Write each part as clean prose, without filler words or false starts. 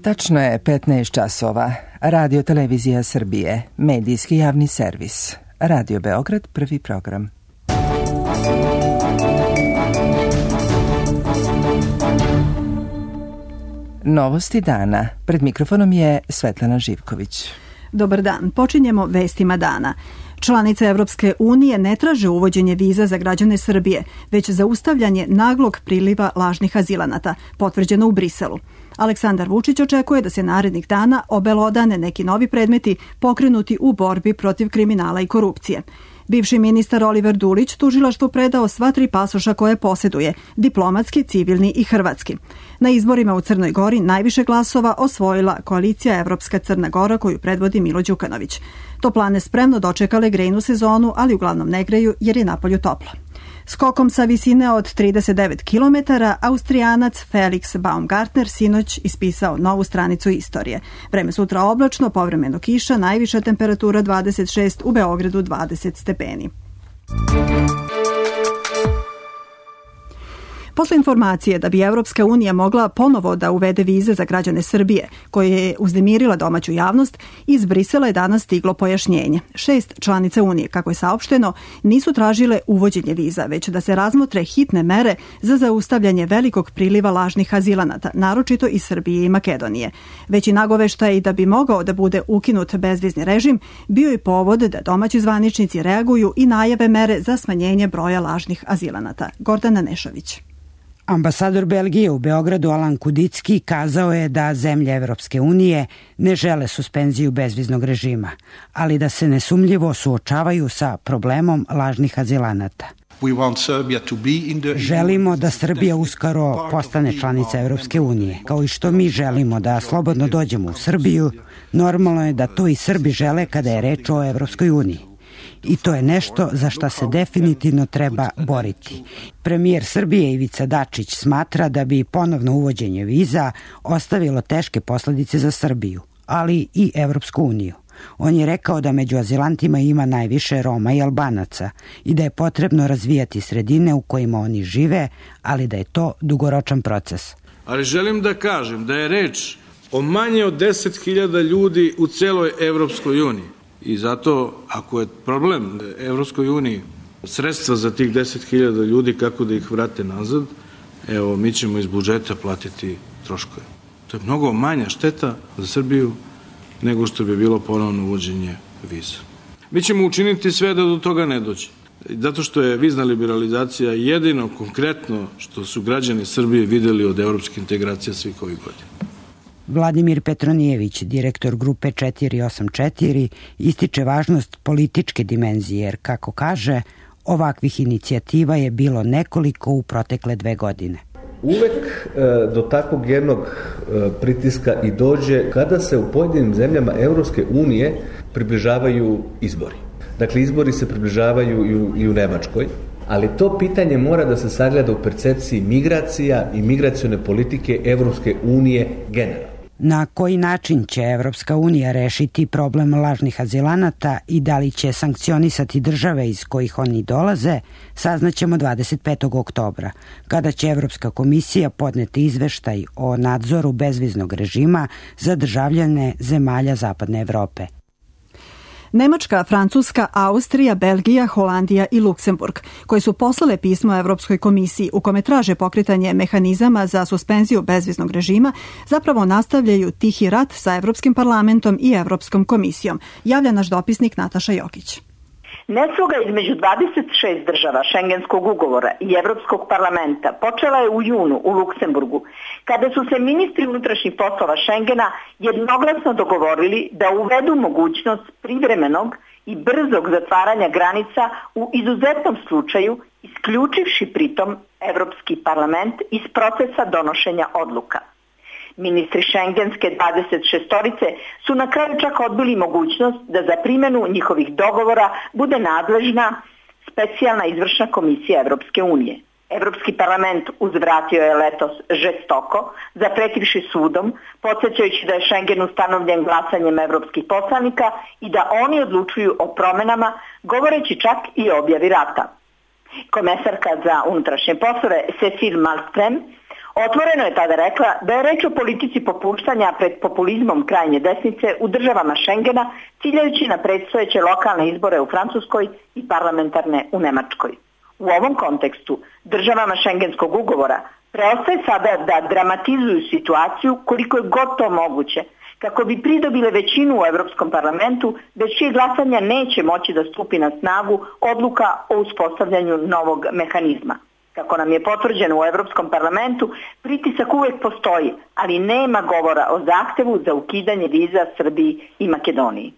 Tačno je 15 časova. Radio Televizija Srbije, medijski javni servis. Radio Beograd, prvi program. Novosti dana. Pred mikrofonom je Svetlana Živković. Dobar dan. Počinjemo vestima dana. Članice Evropske unije ne traže uvođenje viza za građane Srbije, već zaustavljanje naglog priliva lažnih azilanata, potvrđeno u Briselu. Aleksandar Vučić očekuje da se narednih dana obelodane neki novi predmeti pokrenuti u borbi protiv kriminala i korupcije. Bivši ministar Oliver Dulić tužilaštvu predao sva 3 pasoša koje posjeduje, diplomatski, civilni i hrvatski. Na izborima u Crnoj Gori najviše glasova osvojila koalicija Evropska Crna Gora koju predvodi Milo Đukanović. Toplane spremno dočekale grejnu sezonu, ali uglavnom ne greju jer je napolju toplo. Skokom sa visine od 39 km, Austrijanac Felix Baumgartner sinoć ispisao novu stranicu istorije. Vreme sutra oblačno, povremeno kiša, najviša temperatura 26, u Beogradu 20 stepeni. Posle informacije da bi Evropska unija mogla ponovo da uvede vize za građane Srbije, koje je uznemirila domaću javnost, iz Brisela je danas stiglo pojašnjenje. 6 članica Unije, kako je saopšteno, nisu tražile uvođenje viza, već da se razmotre hitne mere za zaustavljanje velikog priliva lažnih azilanata, naročito iz Srbije i Makedonije. Već i nagoveštaj da bi mogao da bude ukinut bezvizni režim, bio je povod da domaći zvaničnici reaguju i najave mere za smanjenje broja lažnih azilanata. Gordana Nešović. Ambasador Belgije u Beogradu Alan Kudicki kazao je da zemlje Evropske unije ne žele suspenziju bezviznog režima, ali da se nesumljivo suočavaju sa problemom lažnih azilanata. Želimo da Srbija uskoro postane članica Evropske unije, kao i što mi želimo da slobodno dođemo u Srbiju, normalno je da to i Srbi žele kada je reč o Evropskoj uniji. I to je nešto za što se definitivno treba boriti. Premijer Srbije Ivica Dačić smatra da bi ponovno uvođenje viza ostavilo teške posledice za Srbiju, ali i Evropsku uniju. On je rekao da među azilantima ima najviše Roma i Albanaca i da je potrebno razvijati sredine u kojima oni žive, ali da je to dugoročan proces. Ali želim da kažem da je reč o manje od 10.000 ljudi u celoj Evropskoj uniji. I zato, ako je problem Evropskoj uniji sredstva za tih 10.000 ljudi, kako da ih vrate nazad, evo, mi ćemo iz budžeta platiti troškove. To je mnogo manja šteta za Srbiju nego što bi bilo ponovno uvođenje viza. Mi ćemo učiniti sve da do toga ne dođe. Zato što je vizna liberalizacija jedino konkretno što su građani Srbije videli od evropske integracije svih ovih godina. Vladimir Petronijević, direktor grupe 484, ističe važnost političke dimenzije jer, kako kaže, ovakvih inicijativa je bilo nekoliko u protekle 2 godine. Uvek do takvog jednog pritiska i dođe kada se u pojedinim zemljama Evropske unije približavaju izbori. Dakle, izbori se približavaju i u Nemačkoj, ali to pitanje mora da se sagleda u percepciji migracija i migracione politike Evropske unije generalno. Na koji način će Evropska unija rešiti problem lažnih azilanata i da li će sankcionisati države iz kojih oni dolaze, saznaćemo 25. oktobra, kada će Evropska komisija podneti izveštaj o nadzoru bezviznog režima za državljane zemalja Zapadne Evrope. Nemačka, Francuska, Austrija, Belgija, Holandija i Luksemburg, koji su poslale pismo Evropskoj komisiji u kome traže pokretanje mehanizama za suspenziju bezviznog režima, zapravo nastavljaju tihi rat sa Evropskim parlamentom i Evropskom komisijom, javlja naš dopisnik Nataša Jokić. Nesloga između 26 država Šengenskog ugovora i Evropskog parlamenta počela je u junu u Luksemburgu, kada su se ministri unutrašnjih poslova Šengena jednoglasno dogovorili da uvedu mogućnost privremenog i brzog zatvaranja granica u izuzetnom slučaju, isključivši pritom Evropski parlament iz procesa donošenja odluka. Ministri šengenske 26-torice su na kraju čak odbili mogućnost da za primjenu njihovih dogovora bude nadležna specijalna izvršna komisija Evropske unije. Evropski parlament uzvratio je letos žestoko, zapretivši sudom, podsjećajući da je Šengen ustanovljen glasanjem evropskih poslanika i da oni odlučuju o promenama, govoreći čak i o objavi rata. Komesarka za unutrašnje poslove Cecil Malmström Otvoreno je tada rekla da je reč o politici popuštanja pred populizmom krajnje desnice u državama Šengena, ciljajući na predstojeće lokalne izbore u Francuskoj i parlamentarne u Nemačkoj. U ovom kontekstu državama Šengenskog ugovora preostaje sada da dramatizuju situaciju koliko je god to moguće, kako bi pridobile većinu u Europskom parlamentu, bez čije glasanja neće moći da stupi na snagu odluka o uspostavljanju novog mehanizma. Kako nam je potvrđeno u Europskom parlamentu, pritisak uvek postoji, ali nema govora o zahtevu za ukidanje viza Srbiji i Makedoniji.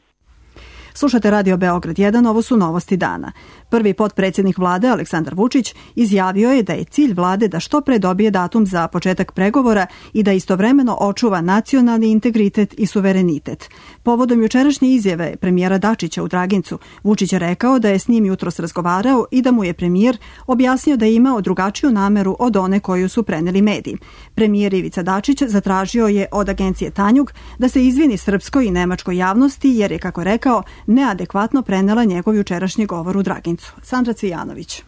Slušate Radio Beograd 1, ovo su novosti dana. Prvi potpredsjednik vlade Aleksandar Vučić izjavio je da je cilj vlade da što pre dobije datum za početak pregovora i da istovremeno očuva nacionalni integritet i suverenitet. Povodom jučerašnje izjave premijera Dačića u Dragincu, Vučić je rekao da je s njim jutros razgovarao i da mu je premijer objasnio da je imao drugačiju nameru od one koju su preneli mediji. Premijer Ivica Dačić zatražio je od agencije Tanjug da se izvini srpskoj i nemačkoj javnosti jer je, kako rekao, neadekvatno prenela njegov jučerašnji govor u Dragincu. Sandra Cvijanović.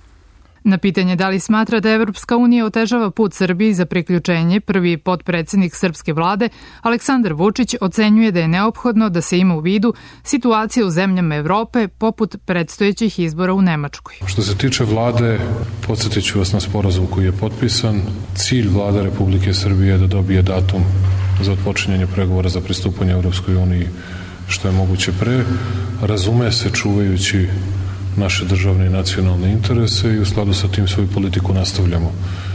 Na pitanje da li smatra da Evropska unija otežava put Srbiji za priključenje, prvi potpredsjednik srpske vlade Aleksandar Vučić ocenjuje da je neophodno da se ima u vidu situacija u zemljama Evrope poput predstojećih izbora u Nemačkoj. Što se tiče vlade, podsjetit ću vas na sporazum koji je potpisan. Cilj vlade Republike Srbije je da dobije datum za otpočinjanje pregovora za pristupanje Evropskoj uniji što je moguće pre, razume se čuvajući naše državne i nacionalne interese i u skladu sa tim svoju politiku nastavljamo.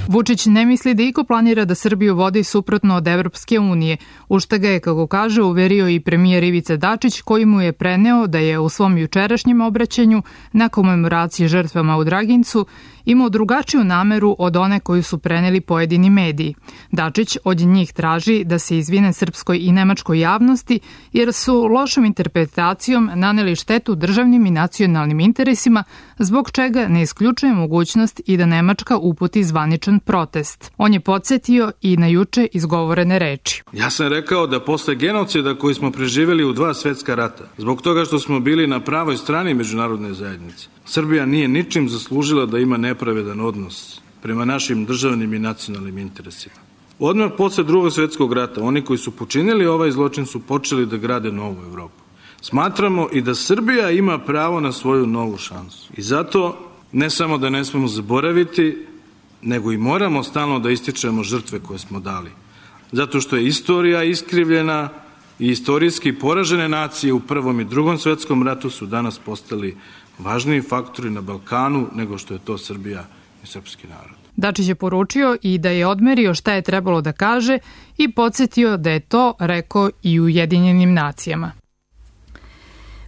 Vučić ne misli da iko planira da Srbiju vodi suprotno od Evropske unije, u šta ga je, kako kaže, uverio i premijer Ivica Dačić, koji mu je preneo da je u svom jučerašnjem obraćanju na komemoraciji žrtvama u Dragincu imao drugačiju nameru od one koju su preneli pojedini mediji. Dačić od njih traži da se izvine srpskoj i nemačkoj javnosti jer su lošom interpretacijom naneli štetu državnim i nacionalnim interesima, zbog čega ne isključuje mogućnost i da Nemačka uputi zvaničan protest. On je podsjetio i na juče izgovorene reči. Ja sam rekao da posle genocida koji smo preživjeli u 2 svetska rata, zbog toga što smo bili na pravoj strani međunarodne zajednice, Srbija nije ničim zaslužila da ima nepravedan odnos prema našim državnim i nacionalnim interesima. Odmah posle 2. svetskog rata, oni koji su počinili ovaj zločin su počeli da grade novu Evropu. Smatramo i da Srbija ima pravo na svoju novu šansu. I zato ne samo da ne smemo zaboraviti, nego i moramo stalno da ističemo žrtve koje smo dali. Zato što je istorija iskrivljena i istorijski poražene nacije u Prvom i Drugom svetskom ratu su danas postali važniji faktori na Balkanu nego što je to Srbija i srpski narod. Dačić je poručio i da je odmerio šta je trebalo da kaže i podsjetio da je to rekao i u Ujedinjenim nacijama.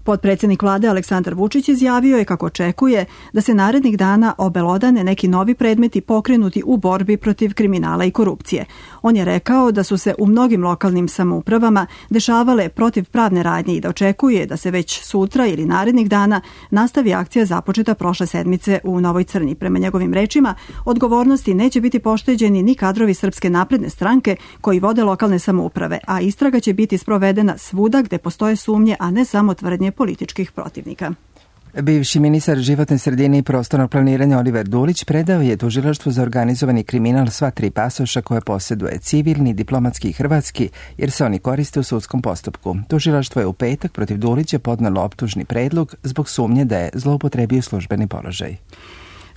Potpredsjednik vlade Aleksandar Vučić izjavio je kako očekuje da se narednih dana obelodane neki novi predmeti pokrenuti u borbi protiv kriminala i korupcije. On je rekao da su se u mnogim lokalnim samoupravama dešavale protivpravne radnje i da očekuje da se već sutra ili narednih dana nastavi akcija započeta prošle sedmice u Novoj Crnji. Prema njegovim rečima, odgovornosti neće biti pošteđeni ni kadrovi Srpske napredne stranke koji vode lokalne samouprave, a istraga će biti sprovedena svuda gde postoje sumnje, a ne samo tvrdnje političkih protivnika. Bivši ministar životne sredine i prostornog planiranja Oliver Dulić predao je tužilaštvu za organizovani kriminal sva 3 pasoša koje posjeduje, civilni, diplomatski i hrvatski, jer se oni koriste u sudskom postupku. Tužilaštvo je u petak protiv Dulića podnelo optužni predlog zbog sumnje da je zloupotrebio službeni položaj.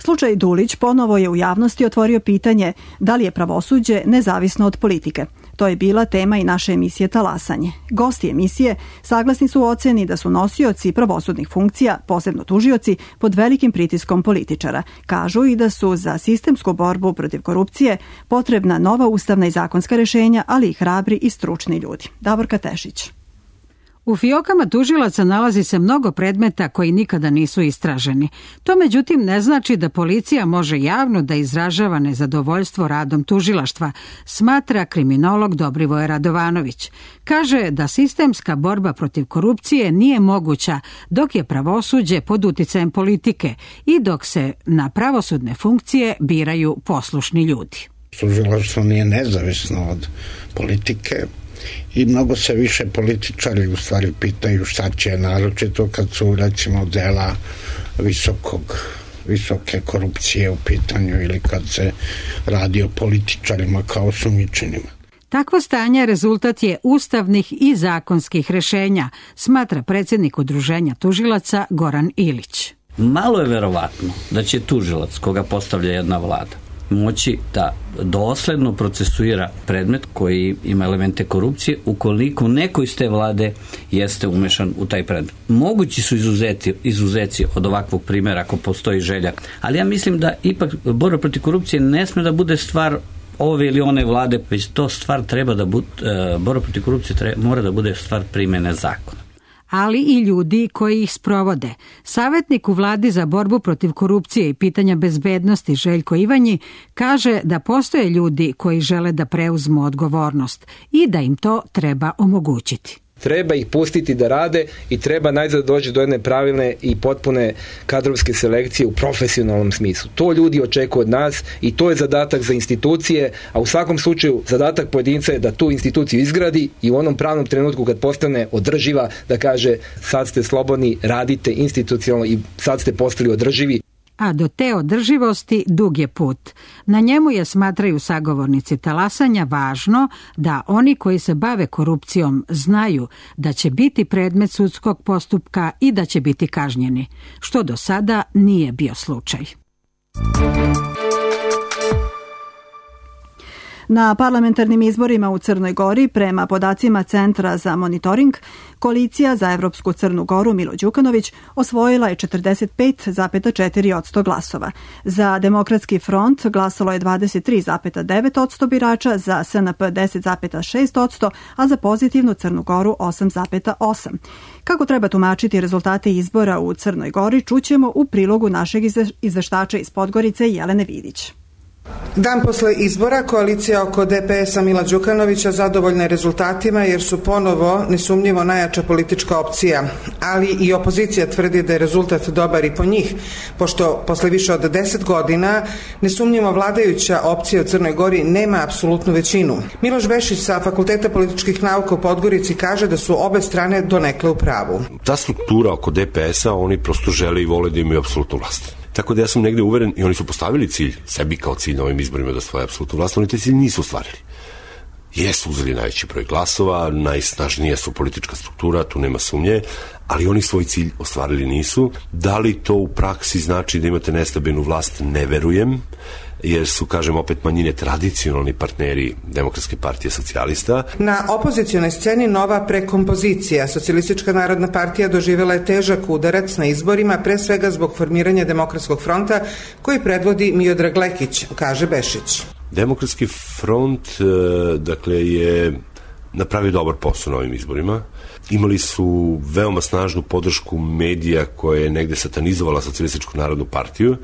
Slučaj Dulić ponovo je u javnosti otvorio pitanje da li je pravosuđe nezavisno od politike. To je bila tema i naše emisije Talasanje. Gosti emisije saglasni su u oceni da su nosioci pravosudnih funkcija, posebno tužioci, pod velikim pritiskom političara. Kažu i da su za sistemsku borbu protiv korupcije potrebna nova ustavna i zakonska rješenja, ali i hrabri i stručni ljudi. Davorka Tešić. U fiokama tužilaca nalazi se mnogo predmeta koji nikada nisu istraženi. To međutim ne znači da policija može javno da izražava nezadovoljstvo radom tužilaštva, smatra kriminolog Dobrivoje Radovanović. Kaže da sistemska borba protiv korupcije nije moguća dok je pravosuđe pod uticajem politike i dok se na pravosudne funkcije biraju poslušni ljudi. Tužilaštvo nije nezavisno od politike. I mnogo se više političari u stvari pitaju šta će, naročito kad su recimo dela visokog visoke korupcije u pitanju ili kad se radi o političarima kao osumnjičenima. Takvo stanje rezultat je ustavnih i zakonskih rešenja, smatra predsjednik Udruženja tužilaca Goran Ilić. Malo je verovatno da će tužilac koga postavlja jedna vlada moći da dosledno procesuira predmet koji ima elemente korupcije ukoliko neko iz te vlade jeste umešan u taj predmet. Mogući su izuzeci od ovakvog primjera ako postoji želja, ali ja mislim da ipak borba protiv korupcije ne sme da bude stvar ove ili one vlade, već to stvar treba da bude, borba protiv korupcije mora da bude stvar primjene zakona. Ali i ljudi koji ih sprovode. Savjetnik u vladi za borbu protiv korupcije i pitanja bezbednosti Željko Ivanji kaže da postoje ljudi koji žele da preuzmu odgovornost i da im to treba omogućiti. Treba ih pustiti da rade i treba najzad doći do jedne pravilne i potpune kadrovske selekcije u profesionalnom smislu. To ljudi očekuju od nas i to je zadatak za institucije, a u svakom slučaju zadatak pojedinca je da tu instituciju izgradi i u onom pravnom trenutku kad postane održiva da kaže sad ste slobodni, radite institucionalno i sad ste postali održivi. A do te održivosti dug je put. Na njemu je, smatraju sagovornici talasanja, važno da oni koji se bave korupcijom znaju da će biti predmet sudskog postupka i da će biti kažnjeni, što do sada nije bio slučaj. Na parlamentarnim izborima u Crnoj Gori, prema podacima Centra za monitoring, Koalicija za Evropsku Crnu Goru Milo Đukanović osvojila je 45,4% glasova. Za Demokratski front glasalo je 23,9% birača, za SNP 10,6%, a za Pozitivnu Crnu Goru 8,8%. Kako treba tumačiti rezultate izbora u Crnoj Gori, čućemo u prilogu našeg izveštača iz Podgorice Jelene Vidić. Dan posle izbora koalicija oko DPS-a Mila Đukanovića zadovoljna je rezultatima jer su ponovo nesumnjivo najjača politička opcija, ali i opozicija tvrdi da je rezultat dobar i po njih, pošto posle više od 10 godina nesumnjivo vladajuća opcija u Crnoj Gori nema apsolutnu većinu. Miloš Bešić sa Fakulteta političkih nauka u Podgorici kaže da su obe strane donekle u pravu. Ta struktura oko DPS-a, oni prosto žele i vole da imaju apsolutnu vlast. Tako da ja sam negde uveren i oni su postavili cilj, sebi kao cilj na ovim izborima da osvoje apsolutnu vlast, oni te cilj nisu ostvarili. Jesu uzeli najveći broj glasova, najsnažnija su politička struktura, tu nema sumnje, ali oni svoj cilj ostvarili nisu. Da li to u praksi znači da imate nestabilnu vlast, ne verujem, jer su, kažem, opet manjine tradicionalni partneri Demokratske partije socijalista. Na opozicionoj sceni nova prekompozicija. Socijalistička narodna partija doživjela je težak udarac na izborima, pre svega zbog formiranja Demokratskog fronta koji predvodi Miodrag Lekić, kaže Bešić. Demokratski front, dakle, je napravio dobar posao na ovim izborima. Imali su veoma snažnu podršku medija koja je negde satanizovala Socijalističku narodnu partiju,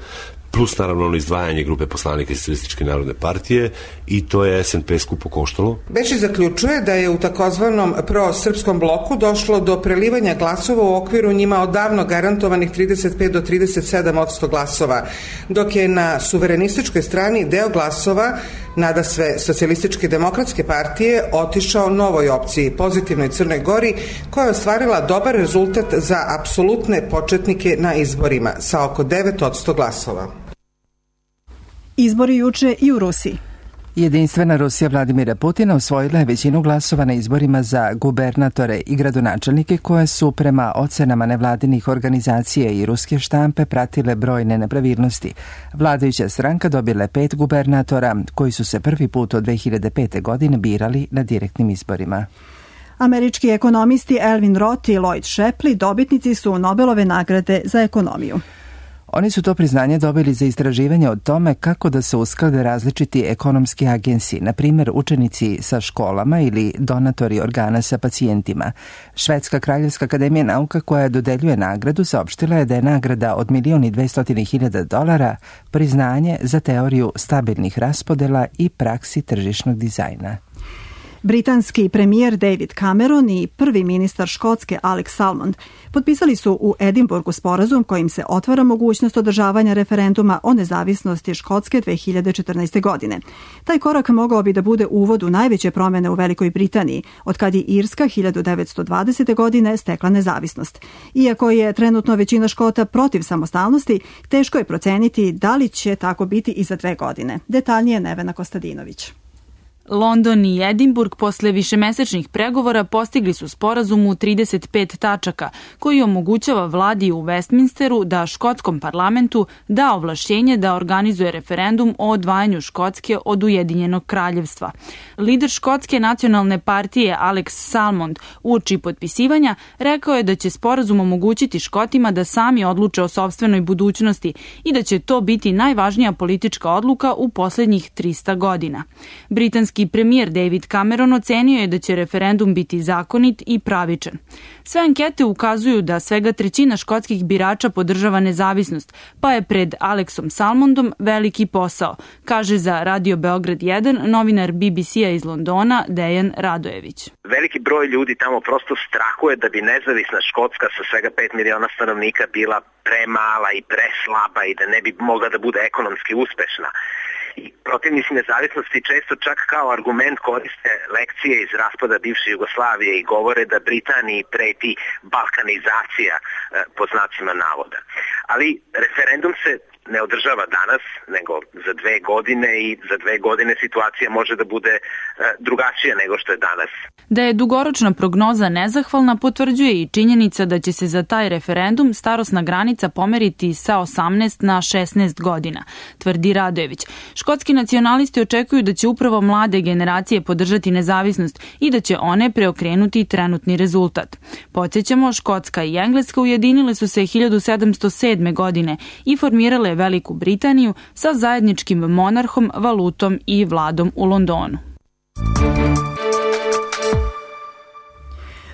plus naravno ono izdvajanje grupe poslanika iz Socijalističke narodne partije i to je SNP skupo koštalo. Bešić zaključuje da je u takozvanom prosrpskom bloku došlo do prelivanja glasova u okviru njima odavno garantovanih 35 do 37% glasova, dok je na suverenističkoj strani deo glasova nadasve Socijalističke demokratske partije otišao novoj opciji, Pozitivnoj Crnoj Gori, koja je ostvarila dobar rezultat za apsolutne početnike na izborima sa oko 9% glasova. Izbori juče i u Rusiji. Jedinstvena Rusija Vladimira Putina osvojila je većinu glasova na izborima za gubernatore i gradonačelnike koje su prema ocenama nevladinih organizacija i ruske štampe pratile brojne nepravilnosti. Vladajuća stranka dobila je 5 gubernatora koji su se prvi put od 2005. godine birali na direktnim izborima. Američki ekonomisti Elvin Roth i Lloyd Shapley dobitnici su Nobelove nagrade za ekonomiju. Oni su to priznanje dobili za istraživanje o tome kako da se usklade različiti ekonomski agensi, na primjer učenici sa školama ili donatori organa sa pacijentima. Švedska kraljevska akademija nauka koja dodeljuje nagradu saopštila je da je nagrada od $1,200,000 priznanje za teoriju stabilnih raspodela i praksi tržišnog dizajna. Britanski premijer David Cameron i prvi ministar Škotske Alex Salmond potpisali su u Edinburgu sporazum kojim se otvara mogućnost održavanja referenduma o nezavisnosti Škotske 2014. godine. Taj korak mogao bi da bude uvod u najveće promene u Velikoj Britaniji, od kad je Irska 1920. godine stekla nezavisnost. Iako je trenutno većina Škota protiv samostalnosti, teško je proceniti da li će tako biti i za 2 godine. Detaljnije Nevena Kostadinović. London i Edinburg posle višemesečnih pregovora postigli su sporazum u 35 tačaka koji omogućava vladi u Westminsteru da škotskom parlamentu da ovlašćenje da organizuje referendum o odvajanju Škotske od Ujedinjenog kraljevstva. Lider Škotske nacionalne partije Alex Salmond uoči potpisivanja rekao je da će sporazum omogućiti Škotima da sami odluče o sopstvenoj budućnosti i da će to biti najvažnija politička odluka u poslednjih 300 godina. Britanski premijer David Cameron ocenio je da će referendum biti zakonit i pravičan. Sve ankete ukazuju da svega 1/3 škotskih birača podržava nezavisnost, pa je pred Alexom Salmondom veliki posao, kaže za Radio Beograd 1 novinar BBC-a iz Londona Dejan Radojević. Veliki broj ljudi tamo prosto strahuje da bi nezavisna Škotska sa svega 5 miliona stanovnika bila premala i preslaba i da ne bi mogla da bude ekonomski uspešna. I protivnici nezavisnosti često čak kao argument koriste lekcije iz raspada bivše Jugoslavije i govore da Britaniji preti balkanizacija po znacima navoda. Ali referendum se ne održava danas, nego za 2 godine i za 2 godine situacija može da bude drugačija nego što je danas. Da je dugoročna prognoza nezahvalna potvrđuje i činjenica da će se za taj referendum starosna granica pomeriti sa 18 na 16 godina, tvrdi Radojević. Škotski nacionalisti očekuju da će upravo mlade generacije podržati nezavisnost i da će one preokrenuti trenutni rezultat. Podsjećamo, Škotska i Engleska ujedinile su se 1707. godine i formirale Veliku Britaniju sa zajedničkim monarhom, valutom i vladom u Londonu.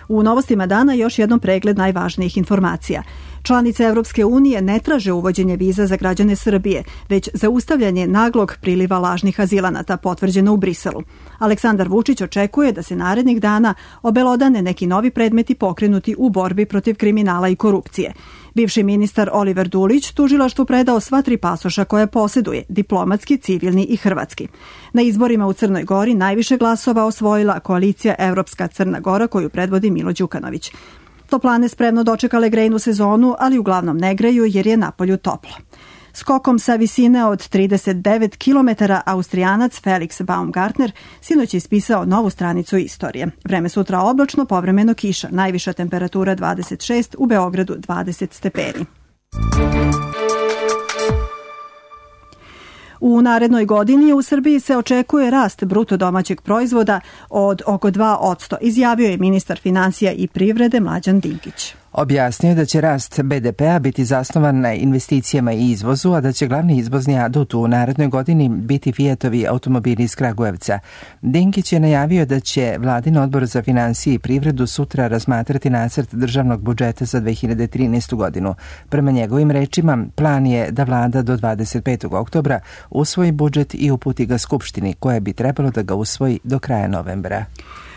U novostima dana još jednom pregled najvažnijih informacija. Članice Evropske unije ne traže uvođenje viza za građane Srbije, već zaustavljanje naglog priliva lažnih azilanata, potvrđeno u Briselu. Aleksandar Vučić očekuje da se narednih dana obelodane neki novi predmeti pokrenuti u borbi protiv kriminala i korupcije. Bivši ministar Oliver Dulić tužilaštvu predao sva 3 pasoša koje posjeduje, diplomatski, civilni i hrvatski. Na izborima u Crnoj Gori najviše glasova osvojila koalicija Evropska Crna Gora koju predvodi Milo Đukanović. Toplane spremno dočekale grejnu sezonu, ali uglavnom ne greju jer je napolju toplo. Skokom sa visine od 39 km Austrijanac Felix Baumgartner sinoć je ispisao novu stranicu istorije. Vreme sutra oblačno, povremeno kiša, najviša temperatura 26, u Beogradu 20 stepeni. U narednoj godini u Srbiji se očekuje rast bruto domaćeg proizvoda od oko 2%, izjavio je ministar finansija i privrede Mlađan Dinkić. Objasnio da će rast BDP-a biti zasnovan na investicijama i izvozu, a da će glavni izvozni adut u narednoj godini biti Fijatovi automobili iz Kragujevca. Dinkić je najavio da će Vladin odbor za finansije i privredu sutra razmatrati nacrt državnog budžeta za 2013. godinu. Prema njegovim rečima, plan je da vlada do 25. oktobra usvoji budžet i uputi ga Skupštini, koja bi trebalo da ga usvoji do kraja novembra.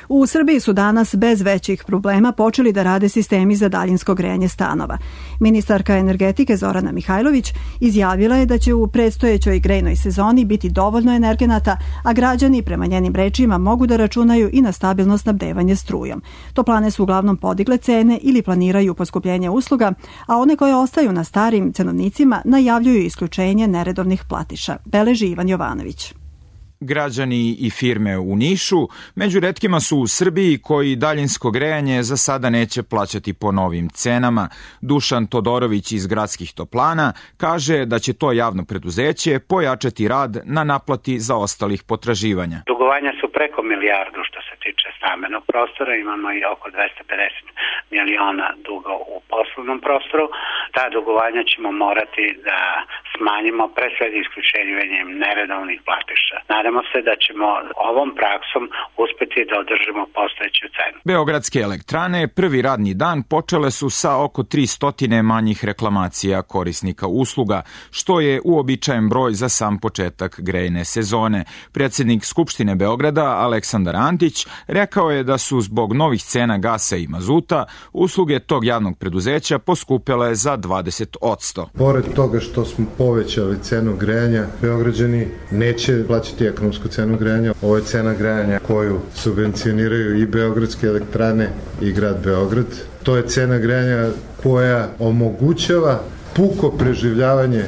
U Srbiji su danas bez većih problema počeli da rade sistemi za daljinsko grejanje stanova. Ministarka energetike Zorana Mihajlović izjavila je da će u predstojećoj grejnoj sezoni biti dovoljno energenata, a građani prema njenim rečima mogu da računaju i na stabilno snabdevanje strujom. Toplane su uglavnom podigle cene ili planiraju poskupljenje usluga, a one koje ostaju na starim cenovnicima najavljuju isključenje neredovnih platiša, beleži Ivan Jovanović. Građani i firme u Nišu među retkima su u Srbiji koji daljinsko grejanje za sada neće plaćati po novim cenama. Dušan Todorović iz Gradskih toplana kaže da će to javno preduzeće pojačati rad na naplati zaostalih potraživanja. Dugovanja su preko milijardu što se tiče stambenog prostora, imamo i oko 250 miliona duga u poslovnom prostoru. Ta dugovanja ćemo morati da smanjimo pre svega isključenjem neredovnih platiša. Nadamo nadamo se da ćemo ovom praksom uspeti da održimo postojeću cenu. Beogradske elektrane prvi radni dan počele su sa oko 300 manjih reklamacija korisnika usluga, što je uobičajen broj za sam početak grejne sezone. Predsjednik Skupštine Beograda Aleksandar Antić rekao je da su zbog novih cena gasa i mazuta usluge tog javnog preduzeća poskupele za 20%. Pored toga što smo povećali cenu grejanja, Beograđani neće plaćati ekonomsku cenu grejanja. Ovo je cena grejanja koju subvencioniraju i Beogradske elektrane i grad Beograd. To je cena grejanja koja omogućava puko preživljavanje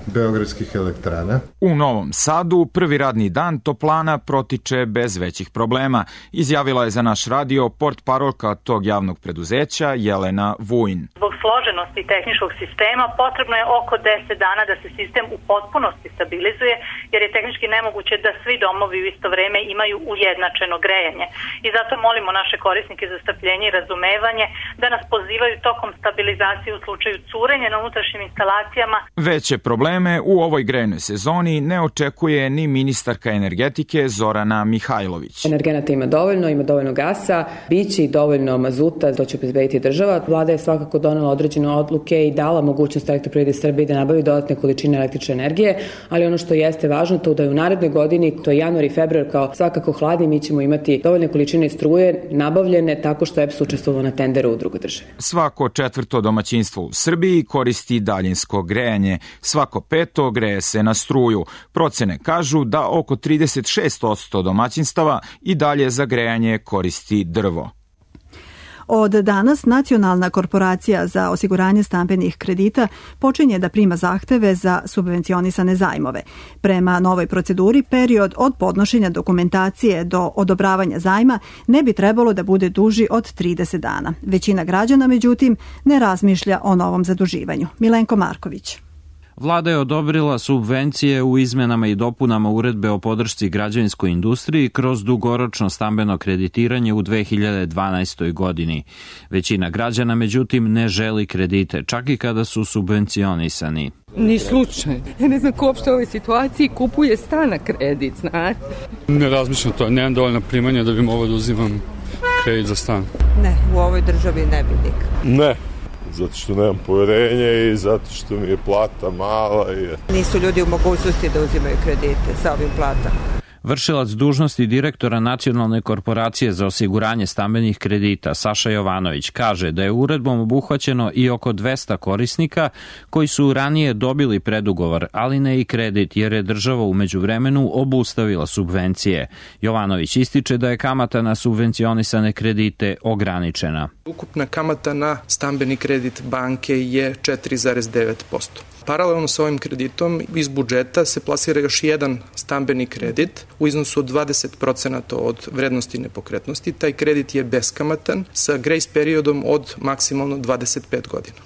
beogradskih elektrana. U Novom Sadu prvi radni dan toplana protiče bez većih problema, izjavila je za naš radio portparolka tog javnog preduzeća Jelena Vujin. Zbog složenosti tehničkog sistema potrebno je oko 10 dana da se sistem u potpunosti stabilizuje, jer je tehnički nemoguće da svi domovi u isto vreme imaju ujednačeno grejanje. I zato molimo naše korisnike za strpljenje i razumevanje da nas pozivaju tokom stabilizacije u slučaju curenja na unutrašnjim instalacijama. Veće probleme u ovoj grejnoj sezoni ne očekuje ni ministarka energetike Zorana Mihajlović. Energenata ima dovoljno gasa, biće i dovoljno mazuta, to će obezbediti država. Vlada je svakako donela određene odluke i dala mogućnost Elektroprivredi Srbije da nabavi dodatne količine električne energije, ali ono što jeste važno to da je u narednoj godini, to je januar i februar kao svakako hladni, mi ćemo imati dovoljne količine struje nabavljene tako što EPS učestvovao na tenderu u drugoj državi. Svako četvrto domaćinstvo u Srbiji koristi daljinsko grejanje, svako peto greje se na struju. Procene kažu da oko 36% domaćinstava i dalje za grejanje koristi drvo. Od danas Nacionalna korporacija za osiguranje stambenih kredita počinje da prima zahteve za subvencionisane zajmove. Prema novoj proceduri, period od podnošenja dokumentacije do odobravanja zajma ne bi trebalo da bude duži od 30 dana. Većina građana, međutim, ne razmišlja o novom zaduživanju. Milenko Marković. Vlada je odobrila subvencije u izmenama i dopunama uredbe o podršci građevinskoj industriji kroz dugoročno stambeno kreditiranje u 2012. godini. Većina građana, međutim, ne želi kredite, čak i kada su subvencionisani. Ni slučaj. Ja ne znam ko uopšte u ovoj situaciji kupuje stan na kredit, znate? Ne razmišljam to, nemam dovoljno primanja da bi mogao da uzimam kredit za stan. Ne, u ovoj državi ne bi nikad. Ne. Zato što nemam poverenje i zato što mi je plata mala. Nisu ljudi u mogućnosti da uzimaju kredite sa ovim platama. Vršilac dužnosti direktora Nacionalne korporacije za osiguranje stambenih kredita Saša Jovanović kaže da je uredbom obuhvaćeno i oko 200 korisnika koji su ranije dobili predugovor, ali ne i kredit, jer je država u međuvremenu obustavila subvencije. Jovanović ističe da je kamata na subvencionisane kredite ograničena. Ukupna kamata na stambeni kredit banke je 4,9%. Paralelno sa ovim kreditom iz budžeta se plasira još jedan stambeni kredit u iznosu od 20% od vrednosti nepokretnosti. Taj kredit je beskamatan sa grejs periodom od maksimalno 25 godina.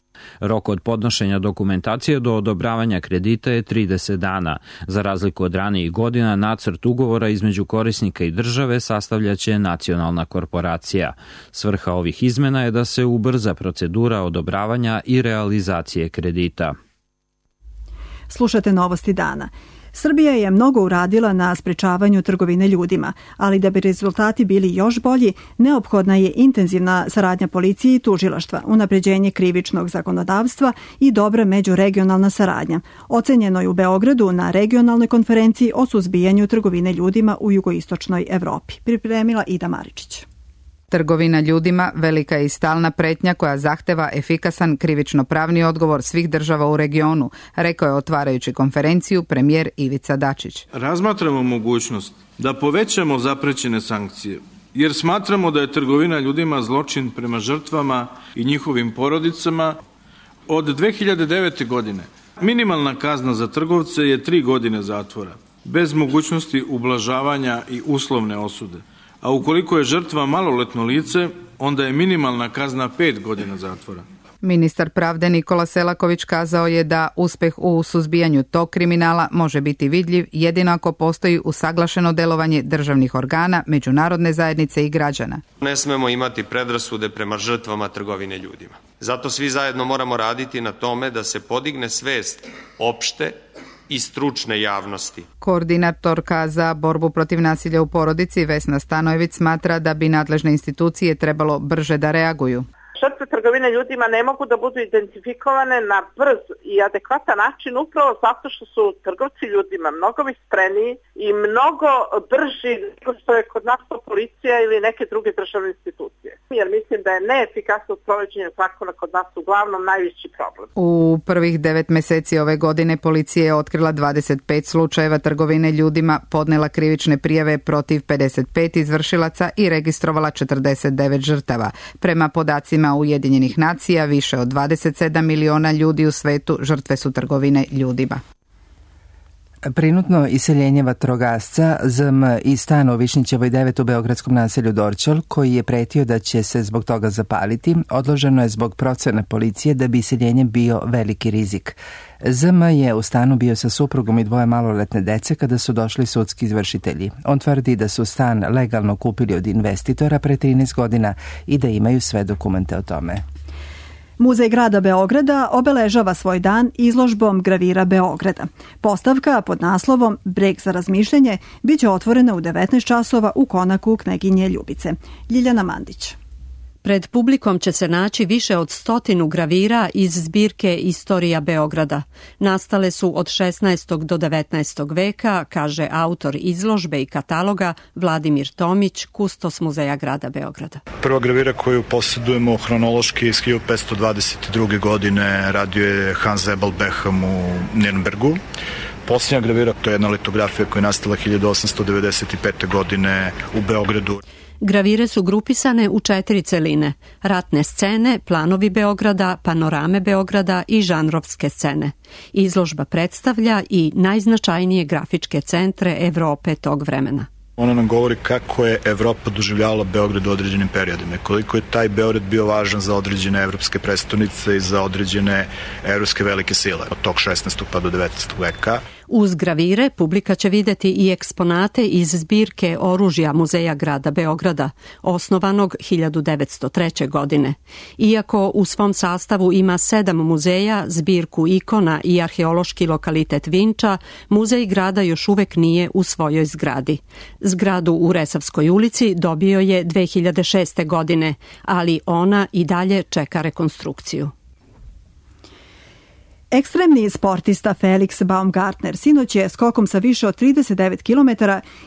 Rok od podnošenja dokumentacije do odobravanja kredita je 30 dana. Za razliku od ranijih godina, nacrt ugovora između korisnika i države sastavljaće Nacionalna korporacija. Svrha ovih izmena je da se ubrza procedura odobravanja i realizacije kredita. Slušate Novosti dana. Srbija je mnogo uradila na sprečavanju trgovine ljudima, ali da bi rezultati bili još bolji, neophodna je intenzivna saradnja policije i tužilaštva, unapređenje krivičnog zakonodavstva i dobra međuregionalna saradnja. Ocenjeno je u Beogradu na regionalnoj konferenciji o suzbijanju trgovine ljudima u jugoistočnoj Evropi. Pripremila Ida Maričić. Trgovina ljudima velika je i stalna pretnja koja zahteva efikasan krivično-pravni odgovor svih država u regionu, rekao je otvarajući konferenciju premijer Ivica Dačić. Razmatramo mogućnost da povećamo zaprećene sankcije, jer smatramo da je trgovina ljudima zločin prema žrtvama i njihovim porodicama. Od 2009. godine minimalna kazna za trgovce je 3 godine zatvora, bez mogućnosti ublažavanja i uslovne osude. A ukoliko je žrtva maloletno lice, onda je minimalna kazna 5 godina zatvora. Ministar pravde Nikola Selaković kazao je da uspeh u suzbijanju tog kriminala može biti vidljiv jedino ako postoji usaglašeno delovanje državnih organa, međunarodne zajednice i građana. Ne smemo imati predrasude prema žrtvama trgovine ljudima. Zato svi zajedno moramo raditi na tome da se podigne svest opšte i stručne javnosti. Koordinatorka za borbu protiv nasilja u porodici Vesna Stanojević smatra da bi nadležne institucije trebalo brže da reaguju. Žrtve trgovine ljudima ne mogu da budu identifikovane na brz i adekvatan način upravo zato što su trgovci ljudima mnogo vispreniji i mnogo brži nego što je kod nas to policija ili neke druge državne institucije. Jer mislim da je neefikasno sprovođenje zakona kod nas uglavnom najveći problem. U prvih 9 meseci ove godine policija je otkrila 25 slučajeva trgovine ljudima, podnela krivične prijave protiv 55 izvršilaca i registrovala 49 žrtava. Prema podacima Ujedinjenih nacija, više od 27 miliona ljudi u svetu žrtve su trgovine ljudima. Prinutno iseljenje vatrogasca ZM iz stana u Višnjićevoj 9 u beogradskom naselju Dorćol, koji je pretio da će se zbog toga zapaliti, odloženo je zbog procene policije da bi iseljenje bio veliki rizik. ZM je u stanu bio sa suprugom i 2 maloletne dece kada su došli sudski izvršitelji. On tvrdi da su stan legalno kupili od investitora pre 13 godina i da imaju sve dokumente o tome. Muzej grada Beograda obeležava svoj dan izložbom gravira Beograda. Postavka pod naslovom Breg za razmišljanje biće otvorena u 19 časova u konaku Kneginje Ljubice. Ljiljana Mandić. Pred publikom će se naći više od 100 gravira iz zbirke Istorija Beograda. Nastale su od 16. do 19. veka, kaže autor izložbe i kataloga Vladimir Tomić, kustos Muzeja grada Beograda. Prva gravira koju posjedujemo hronološki iz 1522. godine radio je Hans Ebel Beham u Nirnbergu. Posljednja gravira, to je jedna litografija koja je nastala 1895. godine u Beogradu. Gravire su grupisane u 4 celine: ratne scene, planovi Beograda, panorame Beograda i žanrovske scene. Izložba predstavlja i najznačajnije grafičke centre Evrope tog vremena. Ona nam govori kako je Evropa doživljavala Beograd u određenim periodima, koliko je taj Beograd bio važan za određene evropske prestonice i za određene evropske velike sile od tog 16. pa do 19. veka. Uz gravire publika će videti i eksponate iz zbirke oružja Muzeja grada Beograda, osnovanog 1903. godine. Iako u svom sastavu ima 7 muzeja, zbirku ikona i arheološki lokalitet Vinča, Muzej grada još uvek nije u svojoj zgradi. Zgradu u Resavskoj ulici dobio je 2006. godine, ali ona i dalje čeka rekonstrukciju. Ekstremni sportista Felix Baumgartner sinoć je skokom sa više od 39 km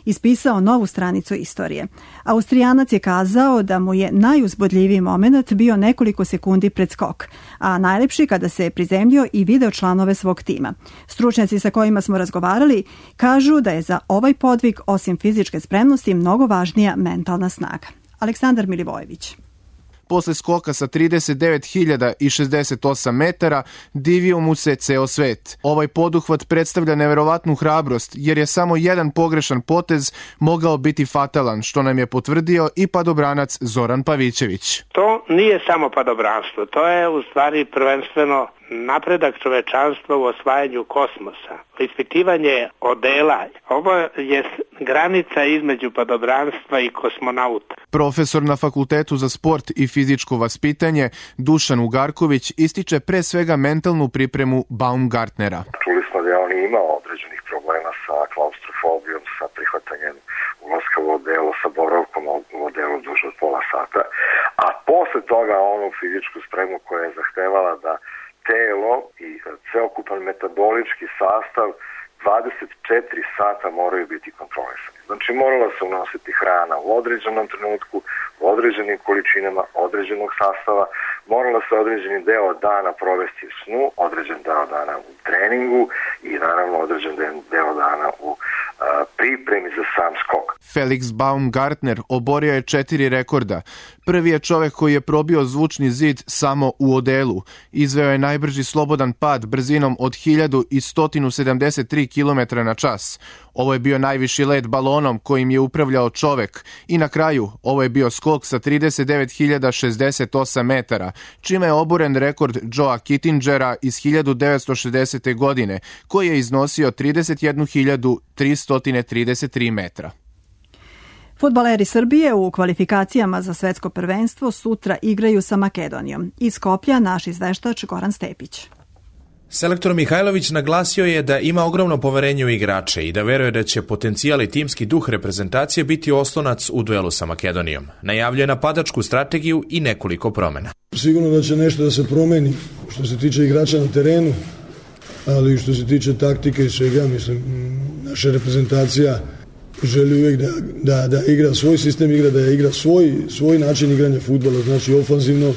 ispisao novu stranicu istorije. Austrijanac je kazao da mu je najuzbudljiviji moment bio nekoliko sekundi pred skok, a najlepši kada se je prizemljio i video članove svog tima. Stručnjaci sa kojima smo razgovarali kažu da je za ovaj podvig osim fizičke spremnosti mnogo važnija mentalna snaga. Aleksandar Milivojević. Posle skoka sa 39.068 metara divio mu se ceo svet. Ovaj poduhvat predstavlja neverovatnu hrabrost, jer je samo jedan pogrešan potez mogao biti fatalan, što nam je potvrdio i padobranac Zoran Pavićević. To nije samo padobranstvo, to je u stvari prvenstveno napredak čovečanstva u osvajanju kosmosa, ispitivanje odela. Ovo je granica između padobranstva i kosmonauta. Profesor na Fakultetu za sport i fizičko vaspitanje Dušan Ugarković ističe pre svega mentalnu pripremu Baumgartnera. Čuli smo da je on imao određenih problema sa klaustrofobijom, sa prihvatanjem ulaska u odelo, sa boravkom u odelu duže od pola sata, a posle toga onu fizičku spremu koja je zahtevala da telo i ceokupan metabolički sastav 24 sata moraju biti kontrolisani. Znači morala se unositi hrana u određenom trenutku, u određenim količinama, određenog sastava, morala se određeni deo dana provesti u snu, određen deo dana u treningu i naravno određen deo dana u pripremi za sam skok. Felix Baumgartner oborio je 4 rekorda. Prvi je čovek koji je probio zvučni zid samo u odelu. Izveo je najbrži slobodan pad brzinom od 1173 km na čas. Ovo je bio najviši let balonom kojim je upravljao čovek. I na kraju, ovo je bio skok sa 39.068 metara, čime je oboren rekord Joea Kittingera iz 1960. godine, koji je iznosio 31.333 metra. Fudbaleri Srbije u kvalifikacijama za svetsko prvenstvo sutra igraju sa Makedonijom. Iz Skoplja naš izveštač Goran Stepić. Selektor Mihajlović naglasio je da ima ogromno poverenje u igrače i da veruje da će potencijal i timski duh reprezentacije biti oslonac u duelu sa Makedonijom. Najavljuje napadačku strategiju i nekoliko promena. Sigurno da će nešto da se promeni što se tiče igrača na terenu, ali što se tiče taktike i svega, mislim, naša reprezentacija želi uvijek da igra svoj sistem igra, da igra svoj način igranja fudbala, znači ofanzivno.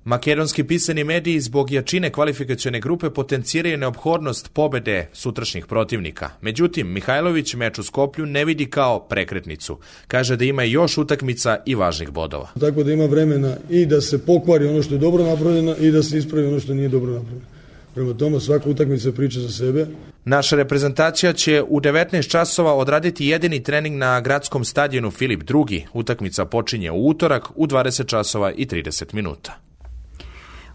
Makedonski pisani mediji zbog jačine kvalifikacione grupe potenciraju neophodnost pobede sutrašnjih protivnika. Međutim, Mihajlović meč u Skoplju ne vidi kao prekretnicu. Kaže da ima još utakmica i važnih bodova. Tako da ima vremena i da se pokvari ono što je dobro napravljeno i da se ispravi ono što nije dobro napravljeno. Prema tome, svaka utakmica priča za sebe. Naša reprezentacija će u 19 časova odraditi jedini trening na gradskom stadionu Filip II. Utakmica počinje u utorak u 20 časova i 30 minuta.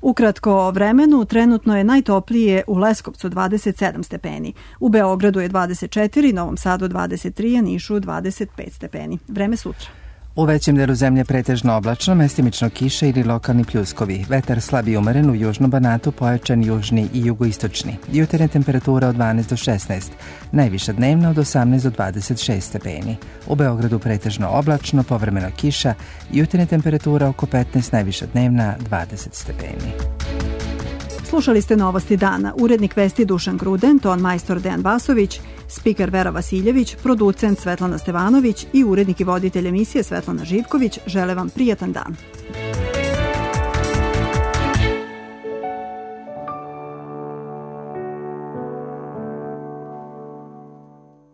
Ukratko o vremenu, trenutno je najtoplije u Leskovcu 27 stepeni, u Beogradu je 24, Novom Sadu 23, a Nišu 25 stepeni. Vreme sutra. U većem delu zemlje pretežno oblačno, mestimično kiše ili lokalni pljuskovi. Vetar slab i umeren, u južnom Banatu pojačan južni i jugoistočni. Jutarnja temperatura od 12 do 16, najviša dnevna od 18 do 26 stepeni. U Beogradu pretežno oblačno, povremeno kiša, jutarnja temperatura oko 15, najviša dnevna 20 stepeni. Slušali ste Novosti dana. Urednik vesti Dušan Gruden, ton majstor Dejan Vasović, spiker Vera Vasiljević, producent Svetlana Stevanović i urednik i voditelj emisije Svetlana Živković žele vam prijatan dan.